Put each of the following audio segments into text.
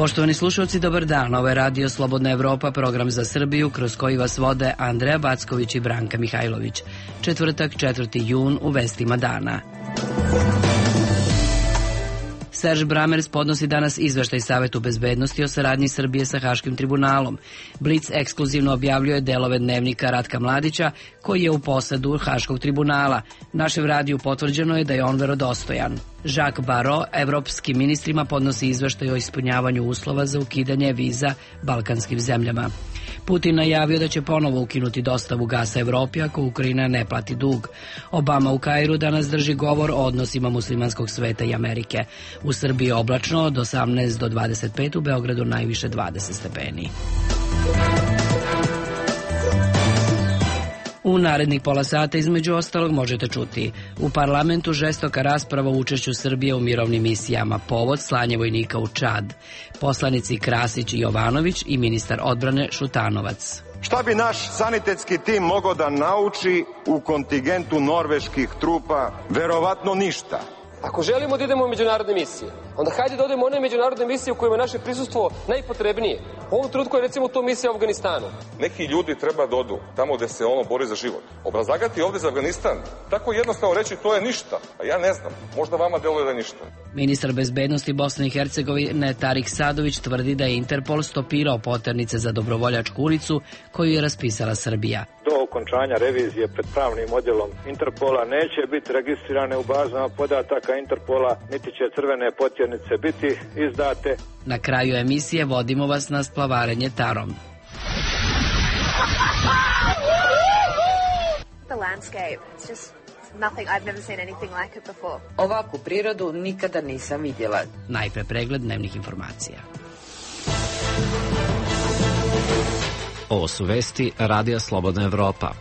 Poštovani slušalci, dobar dan. Ovo je Radio Slobodna Evropa, program za Srbiju, kroz koji vas vode Andreja Backović i Branka Mihajlović. Četvrtak, 4. jun, u vestima dana. Serž Bramers podnosi danas izveštaj Savetu bezbednosti o saradnji Srbije sa Haškim tribunalom. Blic ekskluzivno objavljuje delove dnevnika Ratka Mladića, koji je u posedu Haškog tribunala. Našem radiju potvrđeno je da je on verodostojan. Jacques Barrot evropskim ministrima podnosi izveštaj o ispunjavanju uslova za ukidanje viza balkanskim zemljama. Putin najavio da će ponovo ukinuti dostavu gasa Evropi ako Ukrajina ne plati dug. Obama u Kairu danas drži govor o odnosima muslimanskog sveta i Amerike. U Srbiji oblačno od 18 do 25, u Beogradu najviše 20 stepeni. U narednih pola sata između ostalog možete čuti: u parlamentu žestoka rasprava o učešću Srbije u mirovnim misijama, povod slanje vojnika u Čad, poslanici Krasić i Jovanović i ministar odbrane Šutanovac. Šta bi naš sanitetski tim mogao da nauči u kontingentu norveških trupa? Verovatno ništa. Ako želimo da idemo u međunarodne misije, onda hajde da odemo u one međunarodne misije u kojima je naše prisustvo najpotrebnije. U ovom trenutku je recimo to misija u Afganistanu. Neki ljudi treba da odu tamo gde se ono bori za život. Obrazlagati ovde za Afganistan, tako jednostavno reći to je ništa. A ja ne znam, možda vama deluje da je ništa. Ministar bezbednosti Bosne i Hercegovine Tarik Sadović tvrdi da je Interpol stopirao poternice za dobrovoljačku ulicu koju je raspisala Srbija. Do okončanja revizije pred pravnim odjelom Interpola neće biti registrirane u bazama podataka Interpola, niti će crvene potjernice biti izdate. Na kraju emisije vodimo vas na splavarenje tarom. Ovakvu prirodu nikada nisam vidjela. Najpre pregled dnevnih informacija. Ovo su vesti Radija Slobodna Evropa.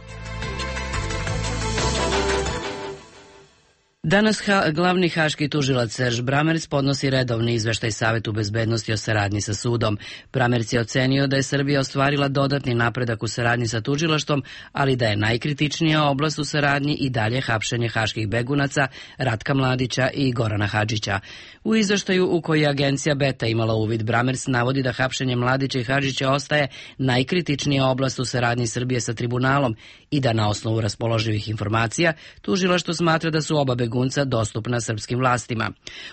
Danas glavni haški tužilac Serž Bramers podnosi redovni izveštaj Savetu bezbednosti o saradnji sa sudom. Bramers je ocenio da je Srbija ostvarila dodatni napredak u saradnji sa tužilaštvom, ali da je najkritičnija oblast u saradnji i dalje hapšenje haških begunaca Ratka Mladića i Gorana Hadžića. U izveštaju u koji je agencija Beta imala uvid, Bramers navodi da hapšenje Mladića i Hadžića ostaje najkritičnija oblast u saradnji Srbije sa tribunalom i da na osnovu raspoloživih informacija tužilaštvo smatra da su oba begunca dostupna srpskim vlastima.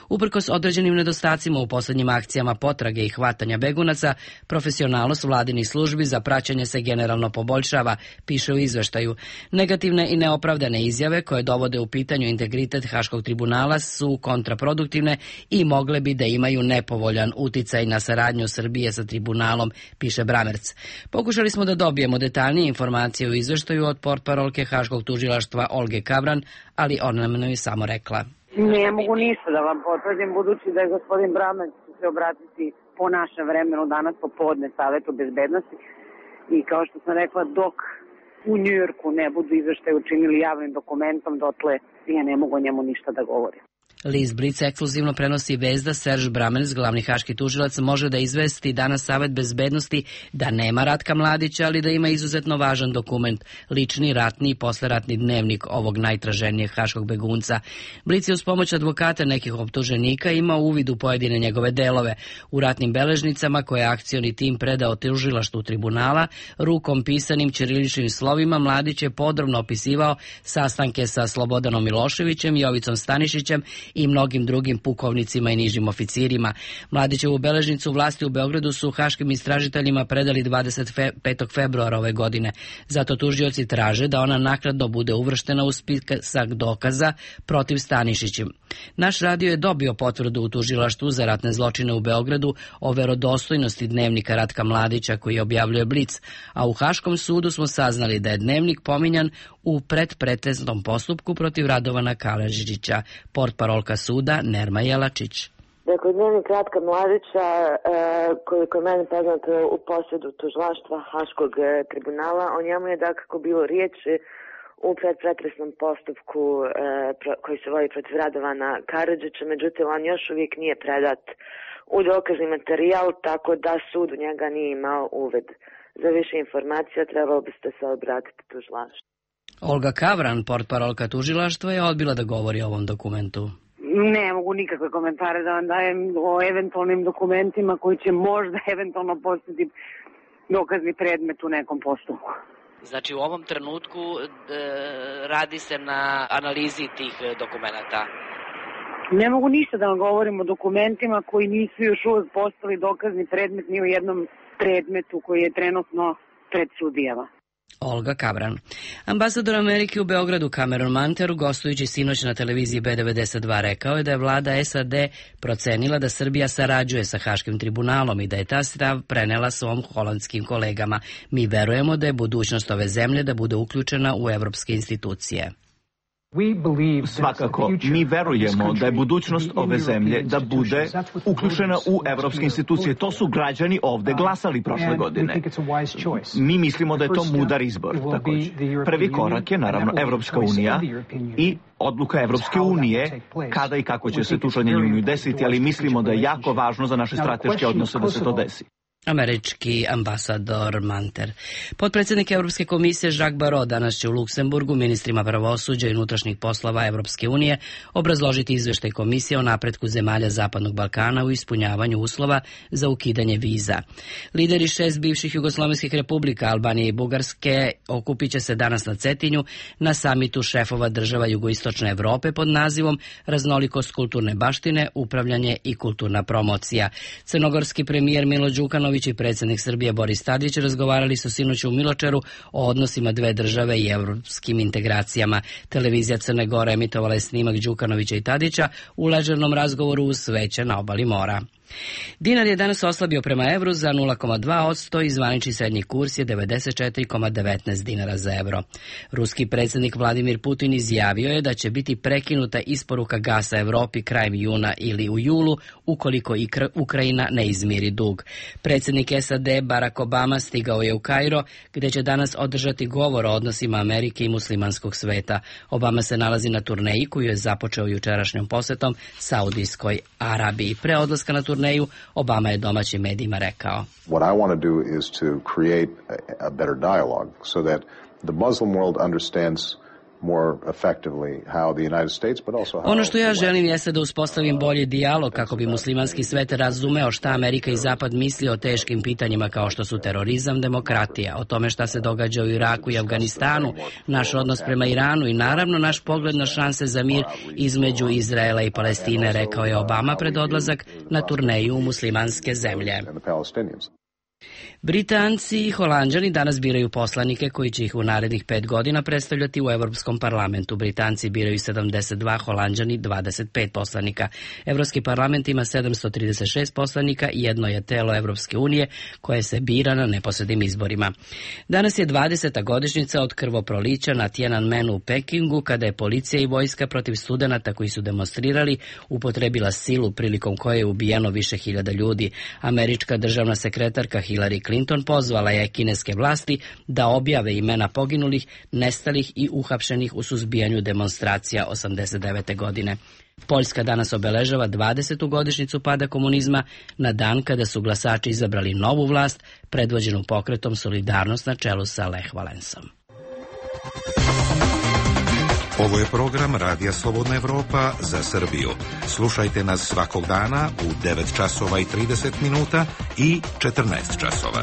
Uprkos određenim nedostacima u poslednjim akcijama potrage i hvatanja begunaca, profesionalnost vladinih službi za praćenje se generalno poboljšava, piše u izveštaju. Negativne i neopravdane izjave koje dovode u pitanju integritet Haškog tribunala su kontraproduktivne i mogle bi da imaju nepovoljan uticaj na saradnju Srbije sa tribunalom, piše Bramers. Pokušali smo da dobijemo detaljnije informacije u izveštaju od portparolke Haškog tužilaštva Olge Kavran, ali ona nam je samo rekla: Ne mogu ništa da vam potvrdim, budući da je gospodin Bramers se obratiti po našem vremenu danas popodne Savetu bezbednosti i kao što sam rekla, dok u Njujorku ne budu izveštaj učinili javnim dokumentom, dotle ja ne mogu o njemu ništa da govorim. List Blic ekskluzivno prenosi vest da Serž Bramers, glavni haški tužilac, može da izvesti danas Savet bezbednosti da nema Ratka Mladića, ali da ima izuzetno važan dokument, lični, ratni i posleratni dnevnik ovog najtraženijeg haškog begunca. Blic je uz pomoć advokata nekih optuženika imao uvid u pojedine njegove delove. U ratnim beležnicama koje je akcioni tim predao tužilaštvu tribunala, rukom pisanim ćiriličnim slovima, Mladić je podrobno opisivao sastanke sa Slobodanom Miloševićem, Jovicom Stanišićem i mnogim drugim pukovnicima i nižim oficirima. Mladićevu beležnicu vlasti u Beogradu su haškim istražiteljima predali 25. februara ove godine. Zato tužioci traže da ona naknadno bude uvrštena u spisak dokaza protiv Stanišića. Naš radio je dobio potvrdu u tužilaštvu za ratne zločine u Beogradu o verodostojnosti dnevnika Ratka Mladića koji objavljuje Blic, a u Haškom sudu smo saznali da je dnevnik pominjan u predpretenznom postupku protiv Radovana Karadžića, portparolka suda Nerma Jelačić. Dakle, dnevnik Ratka Mladića, koliko je meni poznato, u posjedu tužilaštva Haškog tribunala, o njemu je dakako bilo riječ u predpretresnom postupku koji se vodi protiv Radovana Karadžića, međutim on još uvijek nije predat u dokazni materijal, tako da sud u njega nije imao uved. Za više informacija trebalo biste se obratiti tužilaštvu. Olga Kavran, portparolka tužilaštva, je odbila da govori o ovom dokumentu. Ne mogu nikakve komentare da vam dajem o eventualnim dokumentima koji će možda eventualno postati dokazni predmet u nekom postupku. Znači u ovom trenutku radi se na analizi tih dokumenata. Ne mogu ništa da vam govorim o dokumentima koji nisu još uvek postali dokazni predmet ni u jednom predmetu koji je trenutno pred sudijama. Olga Kabran. Ambasador Amerike u Beogradu Cameron Manter, gostujući sinoć na televiziji B92, rekao je da je vlada SAD procenila da Srbija sarađuje sa Haškim tribunalom i da je ta stav prenela svom holandskim kolegama. Mi verujemo da je budućnost ove zemlje da bude uključena u evropske institucije. Svakako, mi verujemo da je budućnost ove zemlje da bude uključena u evropske institucije. To su građani ovde glasali prošle godine. Mi mislimo da je to mudar izbor. Takođe. Prvi korak je naravno Evropska unija i odluka Evropske unije kada i kako će se tu učlanjenje desiti, ali mislimo da je jako važno za naše strateške odnose da se to desi. Američki ambasador Manter. Potpredsjednik Evropske komisije Jacques Barrot danas će u Luksemburgu ministrima pravosuđa i unutrašnjih poslova Evropske unije obrazložiti izveštaj komisije o napretku zemalja Zapadnog Balkana u ispunjavanju uslova za ukidanje viza. Lideri 6 bivših jugoslovenskih republika, Albanije i Bugarske, okupit će se danas na Cetinju na samitu šefova država jugoistočne Evrope pod nazivom Raznolikost kulturne baštine, upravljanje i kulturna promocija. Crnogorski premijer Milo Đukanović i predsjednik Srbije Boris Tadić razgovarali su sinoć u Miločeru o odnosima dve države i evropskim integracijama. Televizija Crne Gore emitovala je snimak Đukanovića i Tadića u ležernom razgovoru uz sveće na obali mora. Dinar je danas oslabio prema evru za 0,2% i zvanični srednji kurs je 94,19 dinara za evro. Ruski predsjednik Vladimir Putin izjavio je da će biti prekinuta isporuka gasa Evropi krajem juna ili u julu ukoliko Ukrajina ne izmiri dug. Predsjednik SAD Barack Obama stigao je u Kairo gdje će danas održati govor o odnosima Amerike i muslimanskog sveta. Obama se nalazi na turneji koju je započeo jučerašnjom posetom Saudijskoj Arabiji. Pre odlaska na turneju Obama je domaćim medijima rekao: What I want to do is to create a better dialogue so that the Muslim world understands more effectively how the United States but also how... Ono što ja želim jeste da uspostavim bolji dijalog kako bi muslimanski svet razumeo šta Amerika i Zapad misli o teškim pitanjima kao što su terorizam, demokratija, o tome šta se događa u Iraku i Afganistanu, naš odnos prema Iranu i naravno naš pogled na šanse za mir između Izraela i Palestine, rekao je Obama pred odlazak na turneju u muslimanske zemlje. Britanci i Holanđani danas biraju poslanike koji će ih u narednih 5 godina predstavljati u Evropskom parlamentu. Britanci biraju 72, Holanđani 25 poslanika. Evropski parlament ima 736 poslanika i jedno je telo Evropske unije koje se bira na neposrednim izborima. Danas je 20. godišnjica od krvoprolića na Tiananmenu u Pekingu, kada je policija i vojska protiv studenata koji su demonstrirali upotrebila silu prilikom koje je ubijeno više hiljada ljudi. Američka državna sekretarka Hillary Clinton pozvala je kineske vlasti da objave imena poginulih, nestalih i uhapšenih u suzbijanju demonstracija 89. godine. Poljska danas obeležava 20. godišnjicu pada komunizma na dan kada su glasači izabrali novu vlast predvođenu pokretom Solidarnost na čelu sa Lech Valensom. Ovo je program Radija Slobodna Evropa za Srbiju. Slušajte nas svakog dana u 9 časova i 30 minuta i 14 časova.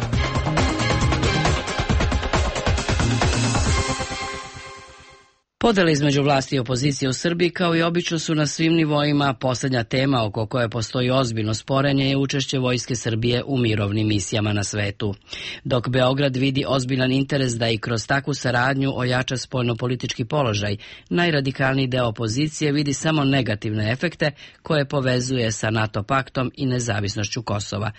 Podele između vlasti i opozicije u Srbiji kao i obično su na svim nivoima. Posljednja tema oko koje postoji ozbiljno sporenje je učešće vojske Srbije u mirovnim misijama na svetu. Dok Beograd vidi ozbiljan interes da i kroz takvu saradnju ojača spoljnopolitički položaj, najradikalniji deo opozicije vidi samo negativne efekte koje povezuje sa NATO paktom i nezavisnošću Kosova.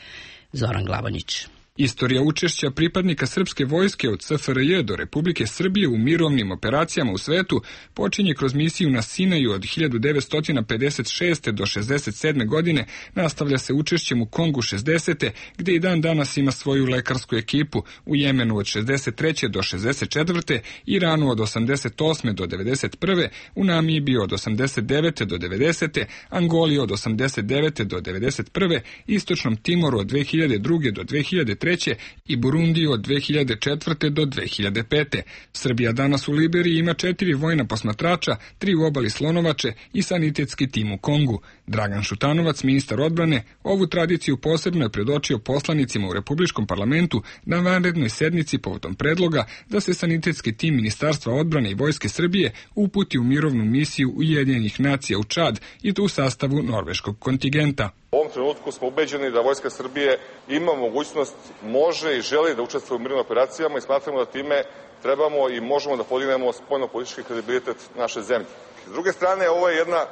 Zoran Glavonjić. Istorija učešća pripadnika srpske vojske od SFRJ do Republike Srbije u mirovnim operacijama u svetu počinje kroz misiju na Sinaju od 1956. do 67. godine, nastavlja se učešćem u Kongu 60. gde i dan danas ima svoju lekarsku ekipu, u Jemenu od 63. do 64. Iranu od 88. do 91. u Namibiji od 89. do 90. Angoli od 89. do 91. Istočnom Timoru od 2002. do 2003. 2003. i Burundiju od 2004. do 2005. Srbija danas u Liberiji ima 4 vojna posmatrača, 3 u obali Slonovače i sanitetski tim u Kongu. Dragan Šutanovac, ministar odbrane, ovu tradiciju posebno je predočio poslanicima u Republičkom parlamentu na vanrednoj sednici povodom predloga da se sanitetski tim Ministarstva odbrane i Vojske Srbije uputi u mirovnu misiju Ujedinjenih nacija u Čad i to u sastavu norveškog kontingenta. U ovom trenutku smo ubeđeni da Vojska Srbije ima mogućnost, može i želi da učestvuje u mirovnim operacijama i smatramo da time trebamo i možemo da podignemo spoljno-politički kredibilitet naše zemlje. S druge strane, ovo je jedna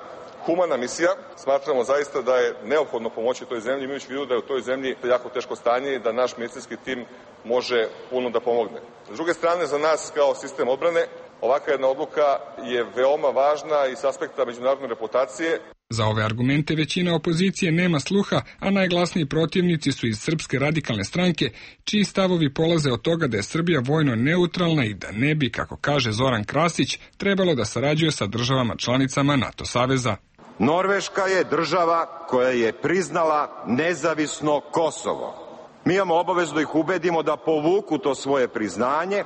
humana misija. Smatramo zaista da je neophodno pomoći toj zemlji, imajući u vidu da je u toj zemlji jako teško stanje i da naš medicinski tim može puno da pomogne. S druge strane, za nas kao sistem odbrane, ovakva jedna odluka je veoma važna i s aspekta međunarodne reputacije. Za ove argumente većina opozicije nema sluha, a najglasniji protivnici su iz Srpske radikalne stranke, čiji stavovi polaze od toga da je Srbija vojno neutralna i da ne bi, kako kaže Zoran Krasić, trebalo da sarađuje sa državama članicama NATO saveza. Norveška je država koja je priznala nezavisno Kosovo. Mi imamo obavezu da ih ubedimo da povuku to svoje priznanje,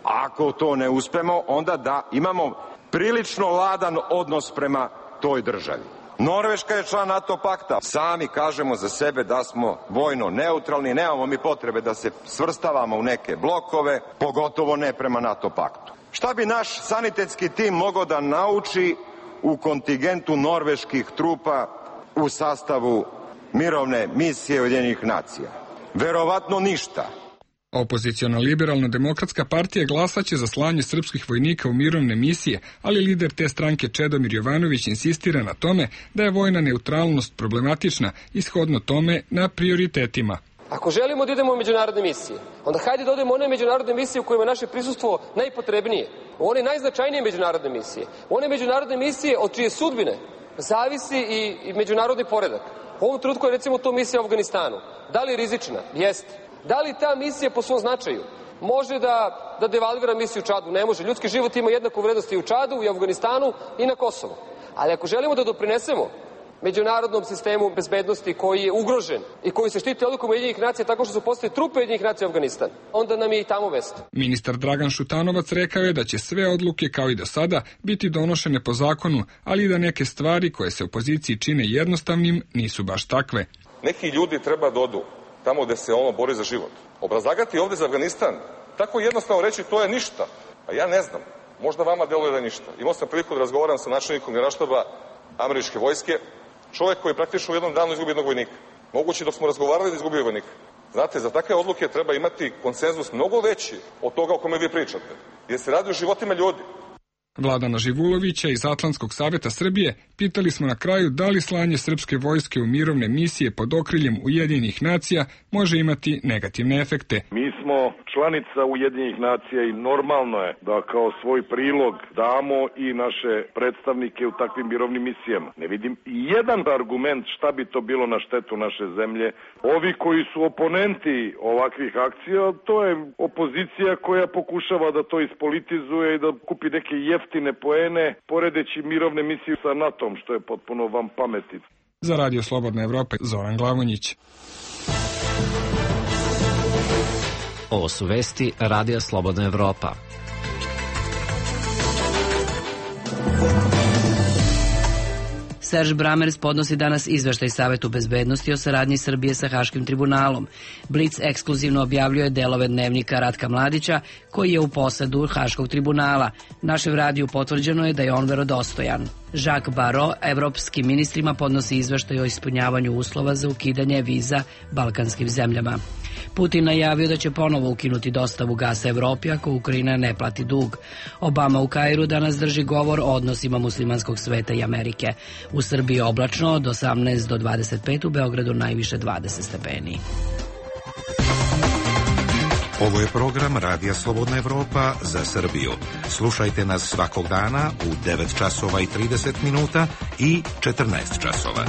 a ako to ne uspemo, onda da imamo prilično ladan odnos prema toj državi. Norveška je član NATO pakta. Sami kažemo za sebe da smo vojno neutralni, nemamo mi potrebe da se svrstavamo u neke blokove, pogotovo ne prema NATO paktu. Šta bi naš sanitetski tim mogao da nauči u kontingentu norveških trupa u sastavu mirovne misije Ujedinjenih nacija? Verovatno ništa. Opoziciona liberalno-demokratska partija glasaće za slanje srpskih vojnika u mirovne misije, ali lider te stranke Čedomir Jovanović insistira na tome da je vojna neutralnost problematična, ishodno tome na prioritetima. Ako želimo da idemo u međunarodne misije, onda hajde da odemo u one međunarodne misije u kojima naše prisustvo najpotrebnije, u one najznačajnije međunarodne misije, u one međunarodne misije od čije sudbine zavisi i međunarodni poredak. U ovom trenutku je recimo to misija u Afganistanu. Da li je rizična? Jeste. Da li ta misija po svom značaju može da devalvira misiju u Čadu? Ne može. Ljudski život ima jednaku vrednost i u Čadu, i u Afganistanu, i na Kosovu. Ali ako želimo da doprinesemo međunarodnom sistemu bezbednosti koji je ugrožen i koji se štiti odlukom Ujedinjenih nacija tako što su postali trupe Ujedinjenih nacija u Afganistan, onda nam je i tamo mesto. Ministar Dragan Šutanovac rekao je da će sve odluke, kao i do sada, biti donošene po zakonu, ali i da neke stvari koje se opoziciji čine jednostavnim nisu baš takve. Neki ljudi treba da odu tamo gde se ono bori za život. Obrazlagati ovde za Afganistan, tako jednostavno reći to je ništa. A ja ne znam, možda vama deluje da je ništa. Imao sam priliku da razgovaram sa načelnikom Generalštaba američke vojske, čovjek koji praktično u jednom danu izgubi jednog vojnika. Moguće dok smo razgovarali da izgubio vojnika. Znate, za takve odluke treba imati konsenzus mnogo veći od toga o kome vi pričate. Jer se radi o životima ljudi. Vladana Živulovića iz Atlantskog saveta Srbije pitali smo na kraju da li slanje srpske vojske u mirovne misije pod okriljem Ujedinjenih nacija može imati negativne efekte. Mi smo članica Ujedinjenih nacija i normalno je da kao svoj prilog damo i naše predstavnike u takvim mirovnim misijama. Ne vidim jedan argument šta bi to bilo na štetu naše zemlje. Ovi koji su oponenti ovakvih akcija, to je opozicija koja pokušava da to ispolitizuje i da kupi neke jeftine poene, poredeći mirovne misije sa NATO-om, što je potpuno van pameti. Za Radio Slobodna Evropa, Zoran Glavonjić. Ovo su vesti Radija Slobodna Evropa. Serž Bramers podnosi danas izveštaj Savetu bezbednosti o saradnji Srbije sa Haškim tribunalom. Blic ekskluzivno objavljuje delove dnevnika Ratka Mladića, koji je u posedu Haškog tribunala. Našem radiju potvrđeno je da je on verodostojan. Jacques Barrot evropskim ministrima podnosi izveštaj o ispunjavanju uslova za ukidanje viza balkanskim zemljama. Putin najavio da će ponovo ukinuti dostavu gasa Evropi ako Ukrajina ne plati dug. Obama u Kairu danas drži govor o odnosima muslimanskog sveta i Amerike. U Srbiji oblačno od 18 do 25, u Beogradu najviše 20 stepeni. Ovo je program Radija Slobodna Evropa za Srbiju. Slušajte nas svakog dana u 9 časova i 30 minuta i 14 časova.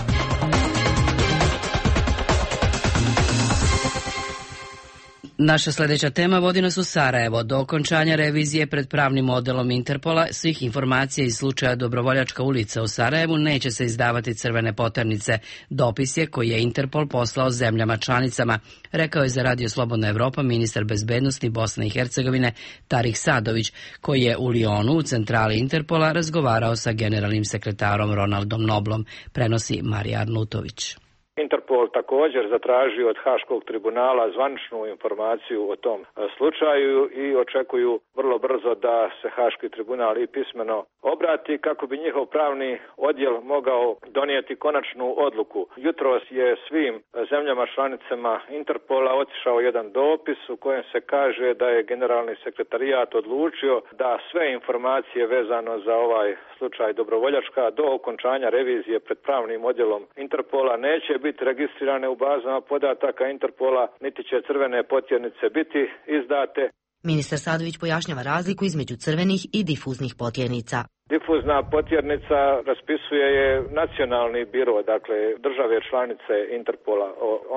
Naša sledeća tema vodi nas u Sarajevo. Do okončanja revizije pred pravnim modelom Interpola svih informacija iz slučaja Dobrovoljačka ulica u Sarajevu neće se izdavati crvene poternice. Dopis je koji je Interpol poslao zemljama članicama, rekao je za Radio Slobodna Evropa ministar bezbednosti Bosne i Hercegovine Tarih Sadović, koji je u Lionu u centrali Interpola razgovarao sa generalnim sekretarom Ronaldom Noblom, prenosi Marija Arnutović. Interpol također zatražio od Haškog tribunala zvaničnu informaciju o tom slučaju i očekuju vrlo brzo da se Haški tribunal i pismeno obrati kako bi njihov pravni odjel mogao donijeti konačnu odluku. Jutros je svim zemljama članicama Interpola otišao jedan dopis u kojem se kaže da je generalni sekretarijat odlučio da sve informacije vezano za ovaj slučaj Dobrovoljačka do okončanja revizije pred pravnim odjelom Interpola neće biti registrirane u bazama podataka Interpola, niti će crvene potjernice biti izdate. Ministar Sadović pojašnjava razliku između crvenih i difuznih potjernica. Difuzna potjernica raspisuje je nacionalni biro, dakle države članice Interpola.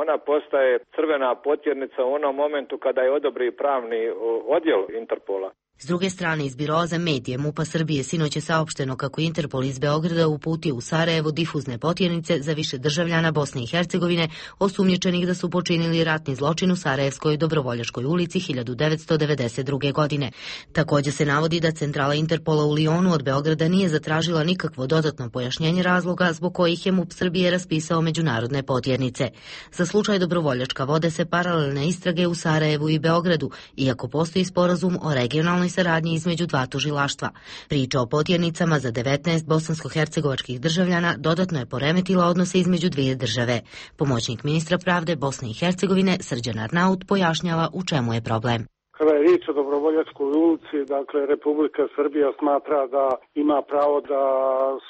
Ona postaje crvena potjernica u onom momentu kada je odobri pravni odjel Interpola. S druge strane, iz Biroa za medije MUP-a Srbije sinoć je saopšteno kako Interpol iz Beograda uputio u Sarajevo difuzne potjernice za više državljana Bosne i Hercegovine osumnjičenih da su počinili ratni zločin u Sarajevskoj Dobrovoljačkoj ulici 1992. godine. Također se navodi da centrala Interpola u Lionu od Beograda nije zatražila nikakvo dodatno pojašnjenje razloga zbog kojih je MUP Srbije raspisao međunarodne potjernice. Za slučaj Dobrovoljačka vode se paralelne istrage u Sarajevu i Beogradu, iako postoji sporazum o regionalnoj saradnji između dva tužilaštva. Priča o potjernicama za 19 bosansko-hercegovačkih državljana dodatno je poremetila odnose između dvije države. Pomoćnik ministra pravde Bosne i Hercegovine Srđan Arnaut pojašnjava u čemu je problem. Kada je riječ o Dobrovoljačkoj ulici, dakle, Republika Srbija smatra da ima pravo da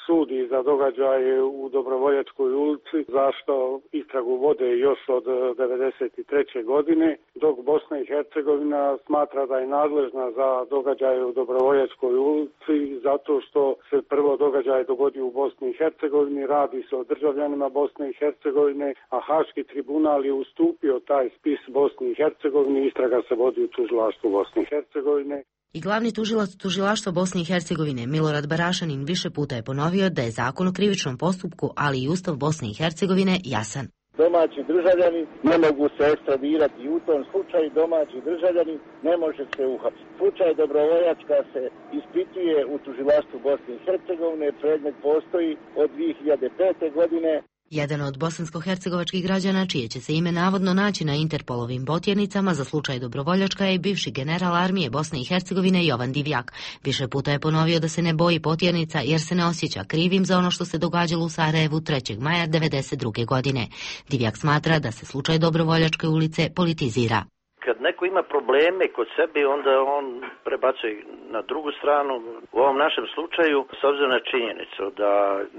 sudi za događaje u Dobrovoljačkoj ulici, zašto istragu vode još od 1993. godine, dok Bosna i Hercegovina smatra da je nadležna za događaje u Dobrovoljačkoj ulici, zato što se prvo događaj dogodi u Bosni i Hercegovini, radi se o državljanima Bosne i Hercegovine, a Haški tribunal je ustupio taj spis Bosni i Hercegovini, istraga se vodi u tužilaštvu Bosne i Hercegovine. I glavni tužilac tužilaštva Bosne i Hercegovine Milorad Barašanin više puta je ponovio da je zakon o krivičnom postupku, ali i Ustav Bosne i Hercegovine jasan. Domaći državljani ne mogu se ekstradirati i u tom slučaju domaći državljani ne može se uhapsiti. Slučaj Dobrovoljačka se ispituje u tužilaštvu Bosne i Hercegovine, predmet postoji od 2005. godine. Jedan od bosansko-hercegovačkih građana, čije će se ime navodno naći na Interpolovim potjernicama za slučaj Dobrovoljačka, je bivši general armije Bosne i Hercegovine Jovan Divjak. Više puta je ponovio da se ne boji potjernica jer se ne osjeća krivim za ono što se događalo u Sarajevu 3. maja 1992. godine. Divjak smatra da se slučaj Dobrovoljačke ulice politizira. Kad neko ima probleme kod sebe, onda on prebacuje na drugu stranu. U ovom našem slučaju, s obzirom na činjenicu da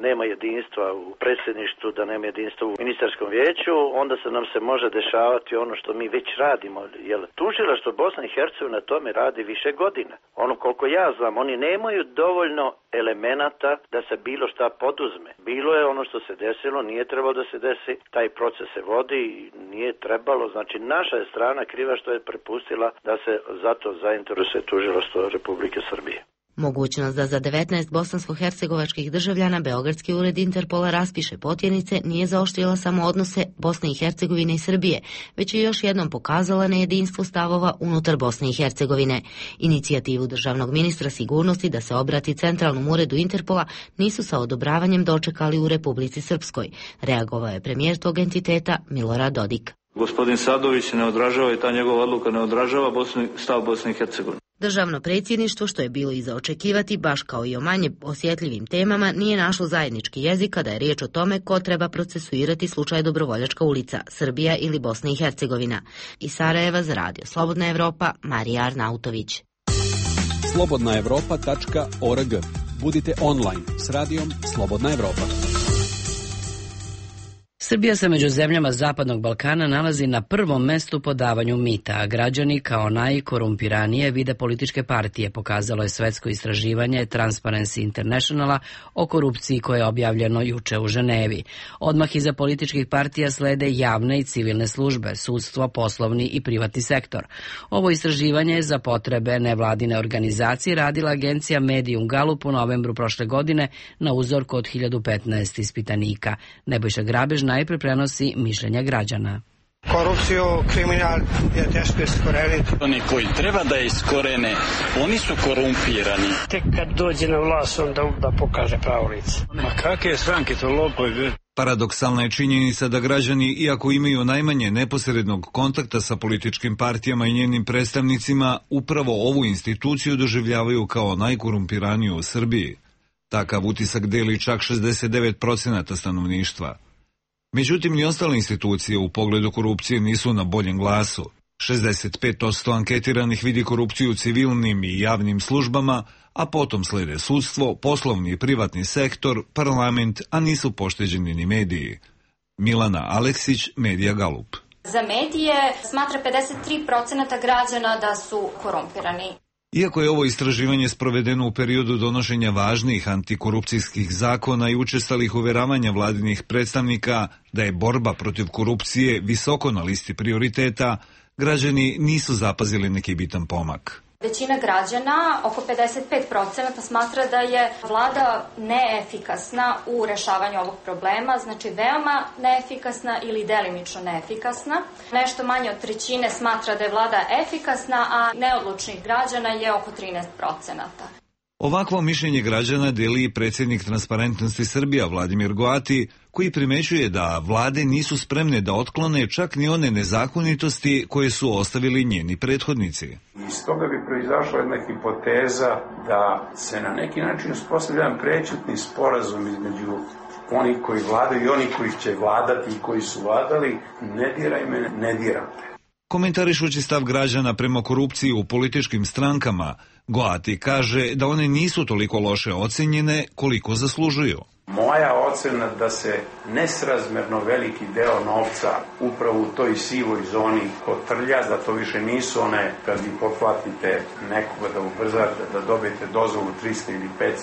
nema jedinstva u predsjedništvu, da nema jedinstva u ministarskom vijeću, onda se nam se može dešavati ono što mi već radimo. Jer tužilaštvo Bosna i Hercegovina tome radi više godina. Ono koliko ja znam, oni nemaju dovoljno elemenata da se bilo šta poduzme. Bilo je ono što se desilo, nije trebalo da se desi, taj proces se vodi, nije trebalo. Znači, naša je strana kriva što je prepustila da se zato zainteresuje tužilaštvo Republike Srbije. Mogućnost da za 19 bosansko-hercegovačkih državljana Beogradski ured Interpola raspiše potjernice nije zaoštrila samo odnose Bosne i Hercegovine i Srbije, već je još jednom pokazala nejedinstvo stavova unutar Bosne i Hercegovine. Inicijativu državnog ministra sigurnosti da se obrati centralnom uredu Interpola nisu sa odobravanjem dočekali u Republici Srpskoj. Reagovao je premijer tog entiteta Milorad Dodik. Gospodin Sadović ne odražava i ta njegova odluka ne odražava stav Bosne i Hercegovine. Državno predsjedništvo, što je bilo i za očekivati, baš kao i o manje osjetljivim temama, nije našlo zajednički jezik kada je riječ o tome ko treba procesuirati slučaj Dobrovoljačka ulica, Srbija ili Bosna i Hercegovina. Iz Sarajeva za Radio Slobodna Evropa, Marija Arnautović. slobodnaevropa.org. Budite online s radijom Slobodna Evropa. Srbija se među zemljama Zapadnog Balkana nalazi na prvom mestu po davanju mita, a građani kao najkorumpiranije vide političke partije, pokazalo je svetsko istraživanje Transparency Internationala o korupciji koje je objavljeno juče u Ženevi. Odmah iza političkih partija slede javne i civilne službe, sudstvo, poslovni i privatni sektor. Ovo istraživanje je za potrebe nevladine organizacije radila agencija Medium Gallup u novembru prošle godine na uzorku od 1015 ispitanika. Nebojša Grabež najpre prenosi mišljenja građana. Korupciju, kriminal je teško iskoreniti. Oni koji treba da je iskorene, oni su korumpirani. Tek kad dođe na vlast, onda pokaže pravo lice. Ma kakve stranke, to lopovi. Paradoksalna je činjenica da građani, iako imaju najmanje neposrednog kontakta sa političkim partijama i njenim predstavnicima, upravo ovu instituciju doživljavaju kao najkorumpiraniju u Srbiji. Takav utisak deli čak 69% stanovništva. Međutim, ni ostale institucije u pogledu korupcije nisu na boljem glasu. 65% anketiranih vidi korupciju u civilnim i javnim službama, a potom slede sudstvo, poslovni i privatni sektor, parlament, a nisu pošteđeni ni mediji. Milana Aleksić, Medija Galup. Za medije smatra 53% građana da su korumpirani. Iako je ovo istraživanje sprovedeno u periodu donošenja važnih antikorupcijskih zakona i učestalih uveravanja vladinih predstavnika da je borba protiv korupcije visoko na listi prioriteta, građani nisu zapazili neki bitan pomak. Većina građana, oko 55%, smatra da je vlada neefikasna u rešavanju ovog problema, znači veoma neefikasna ili delimično neefikasna. Nešto manje od trećine smatra da je vlada efikasna, a neodlučnih građana je oko 13%. Ovakvo mišljenje građana deli i predsjednik Transparentnosti Srbija Vladimir Goati, koji primećuje da vlade nisu spremne da otklone čak ni one nezakonitosti koje su ostavili njeni prethodnici. Iz toga bi proizašla jedna hipoteza da se na neki način uspostavlja jedan prećutni sporazum između onih koji vladaju i onih koji će vladati i koji su vladali. Ne diraj me, ne diram te. Komentarišući stav građana prema korupciji u političkim strankama, Goati kaže da one nisu toliko loše ocenjene koliko zaslužuju. Moja ocena da se nesrazmerno veliki deo novca upravo u toj sivoj zoni kotrlja, da to više nisu one kad vi pohvatite nekoga da ubrzate, da dobijete dozvolu 300 ili 500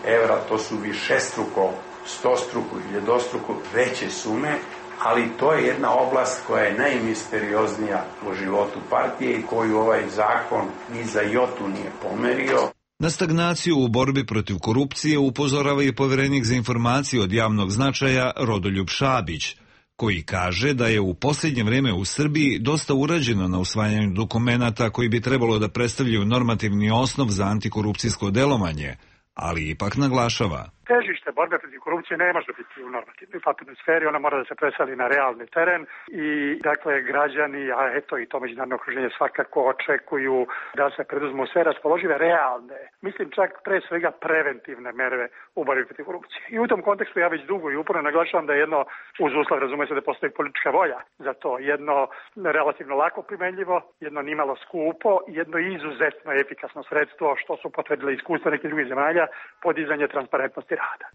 evra, to su višestruko, stostruko, iljedostruko veće sume, ali to je jedna oblast koja je najmisterioznija u životu partije i koju ovaj zakon ni za jotu nije pomerio. Na stagnaciju u borbi protiv korupcije upozorava i poverenik za informacije od javnog značaja Rodoljub Šabić, koji kaže da je u posljednje vreme u Srbiji dosta urađeno na usvajanju dokumenata koji bi trebalo da predstavljaju normativni osnov za antikorupcijsko delovanje, ali ipak naglašava. Težište borbe protiv korupcije ne može biti u normativnoj papirnoj sferi, ona mora da se preseli na realni teren i dakle građani, a eto i to međunarodno okruženje svakako očekuju da se preduzmu sve raspoložive realne, mislim čak pre svega preventivne mere u borbi protiv korupcije. I u tom kontekstu ja već dugo i uporno naglašavam da je jedno, uz uslov razume se da postoji politička volja za to, jedno relativno lako primenljivo, jedno nimalo skupo, jedno izuzetno efikasno sredstvo, što su potvrdile iskustva nekih drugih zemalja, podizanje transparentnosti rada.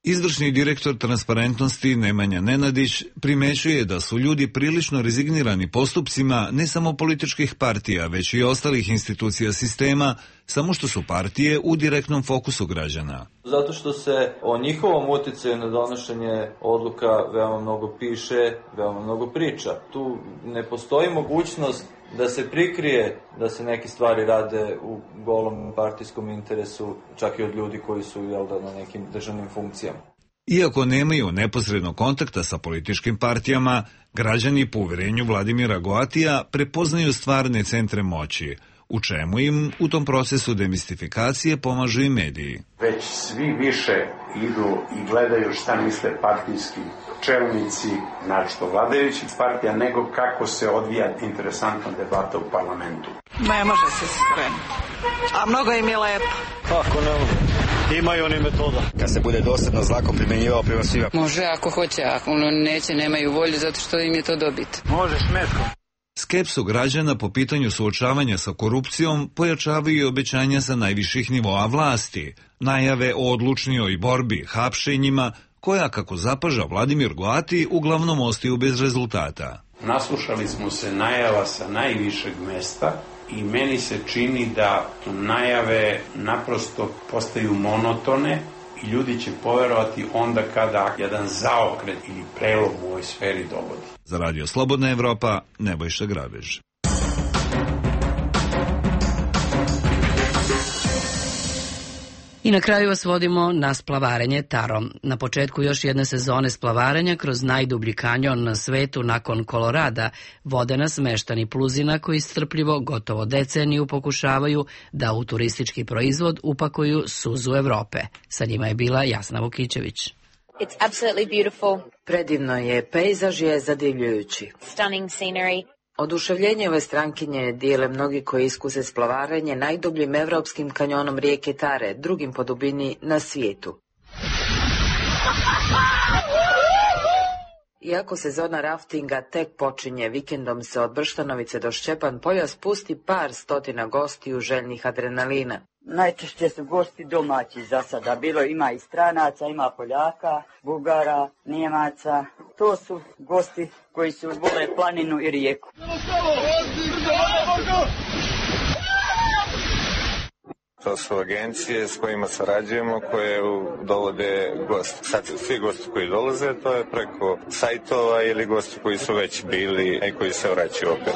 Izvršni direktor Transparentnosti Nemanja Nenadić primećuje da su ljudi prilično rezignirani postupcima ne samo političkih partija, već i ostalih institucija sistema, samo što su partije u direktnom fokusu građana. Zato što se o njihovom uticaju na donošenje odluka veoma mnogo piše, veoma mnogo priča. Tu ne postoji mogućnost da se prikrije da se neke stvari rade u golom partijskom interesu, čak i od ljudi koji su na nekim državnim funkcijama. Iako nemaju neposrednog kontakta sa političkim partijama, građani po uverenju Vladimira Goatija prepoznaju stvarne centre moći, u čemu im u tom procesu demistifikacije pomažu i mediji. Već svi više idu i gledaju šta misle partijski čelnici, našto vladajućih partija, nego kako se odvija interesantna debata u parlamentu. Ne može se skrenuti, a mnogo im je lepo. Kako ne može? Imaju oni metoda. Kad se bude dosadno zakon primjenjivao prema svima. Može ako hoće, ako neće, nemaju volju zato što im je to dobit. Možeš metkom. Skepsu građana po pitanju suočavanja sa korupcijom pojačavaju i obećanja sa najviših nivoa vlasti, najave o odlučnijoj borbi, hapšenjima, koja, kako zapaža Vladimir Goati, uglavnom ostaju bez rezultata. Naslušali smo se najava sa najvišeg mesta i meni se čini da najave naprosto postaju monotone i ljudi će poverovati onda kada jedan zaokret ili prelom u ovoj sferi dogodi. Za Radio Slobodna Evropa, Nebojša Grabež. I na kraju vas vodimo na splavarenje Tarom. Na početku još jedne sezone splavarenja kroz najdublji kanjon na svetu nakon Kolorada vode nas meštani Pluzina koji strpljivo gotovo deceniju pokušavaju da u turistički proizvod upakuju suzu Evrope. Sa njima je bila Jasna Vukićević. It's absolutely beautiful. Predivno je, pejzaž je zadivljujući. Stunning scenery. Oduševljenje ove strankinje dijele mnogi koji iskuse splavarenje najdubljim evropskim kanjonom rijeke Tare, drugim po dubini na svijetu. Iako sezona raftinga tek počinje, vikendom se od Brštanovice do Šćepan polja spusti par stotina gostiju željnih adrenalina. Najčešće su gosti domaći za sada. Bilo ima i stranaca, ima Poljaka, Bugara, Nijemaca. To su gosti koji su vole planinu i rijeku. To su agencije s kojima sarađujemo koje dovode gosti. Sad svi gosti koji dolaze, to je preko sajtova ili gosti koji su već bili i koji se vraćaju opet.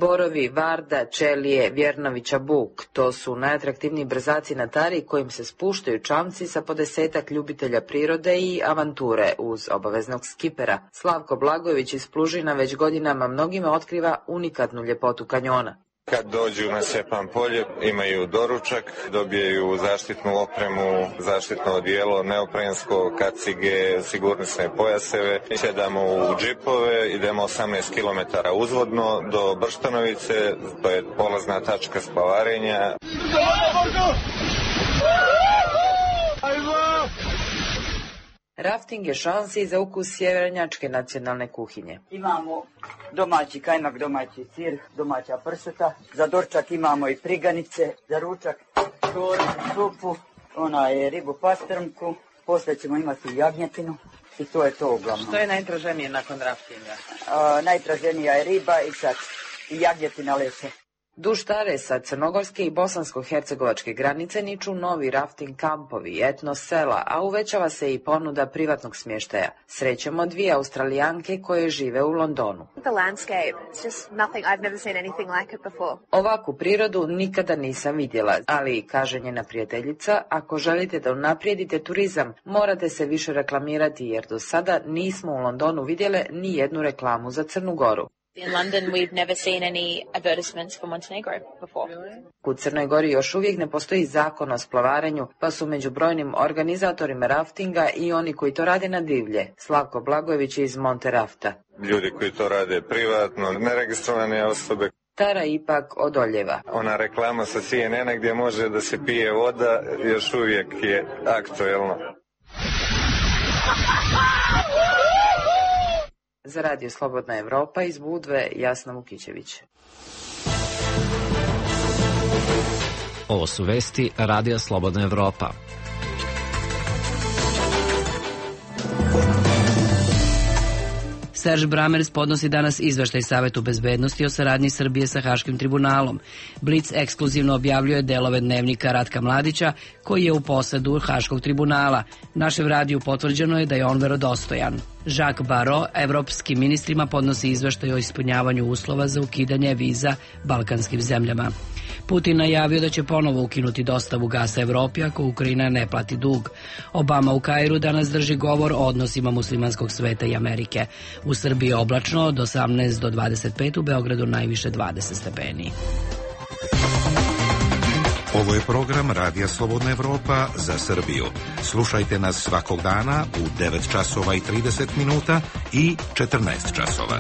Borovi, Varda, Čelije, Vjernovića, Buk, to su najatraktivniji brzaci na Tari kojim se spuštaju čamci sa po 10-ak ljubitelja prirode i avanture uz obaveznog skipera. Slavko Blagojević iz Plužina već godinama mnogima otkriva unikatnu ljepotu kanjona. Kad dođu na Šćepan polje, imaju doručak, dobijaju zaštitnu opremu, zaštitno odijelo, neoprensko, kacige, sigurnosne pojaseve. Sjedamo u džipove, idemo 18 km uzvodno do Brštanovice, to je polazna tačka splavarenja. Rafting je šansi za ukus sjevernjačke nacionalne kuhinje. Imamo domaći kajmak, domaći sir, domaća pršuta. Za doručak imamo i priganice, za ručak šoru, supu, ribu pastrmku. Poslije ćemo imati jagnjetinu i to je to uglavnom. Što je najtraženije nakon raftinga? Najtraženija je riba i sad i jagnjetina leće. Duž Tare sa crnogorske i bosansko-hercegovačke granice niču novi rafting kampovi, etno sela, a uvećava se i ponuda privatnog smještaja. Srećemo 2 Australijanke koje žive u Londonu. Ovakvu prirodu nikada nisam vidjela, ali, kaže njena prijateljica, ako želite da unaprijedite turizam, morate se više reklamirati jer do sada nismo u Londonu vidjele ni jednu reklamu za Crnu Goru. In London we've never seen any advertisements for Montenegro before. U Crnoj Gori još uvijek ne postoji zakon o splavarenju, pa su među brojnim organizatorima raftinga i oni koji to rade na divlje. Slavko Blagojević iz Monte Rafta. Ljudi koji to rade privatno, neregistrovane osobe. Tara ipak odoljeva. Ona reklama sa CNN-a gdje može da se pije voda još uvijek je aktuelna. Za Radio Slobodna Evropa iz Budve, Jasna Vukićević. Ovo su vesti Radija Slobodna Evropa. Serž Bramers podnosi danas izveštaj Savetu bezbednosti o saradnji Srbije sa Haškim tribunalom. Blic ekskluzivno objavljuje delove dnevnika Ratka Mladića, koji je u posedu Haškog tribunala. Našem radiju potvrđeno je da je on verodostojan. Jacques Barrot evropskim ministrima podnosi izveštaj o ispunjavanju uslova za ukidanje viza balkanskim zemljama. Putin najavio da će ponovo ukinuti dostavu gasa Evropi ako Ukrajina ne plati dug. Obama u Kairu danas drži govor o odnosima muslimanskog sveta i Amerike. U Srbiji oblačno od 18 do 25, u Beogradu najviše 20 stepeni. Ovo je program Radija Slobodna Evropa za Srbiju. Slušajte nas svakog dana u 9 časova i 30 minuta i 14 časova.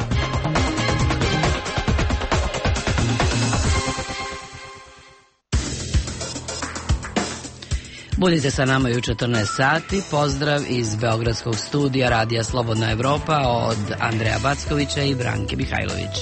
Budite sa nama i u 14 sati. Pozdrav iz Beogradskog studija Radija Slobodna Evropa od Andreja Backovića i Branke Mihajlović.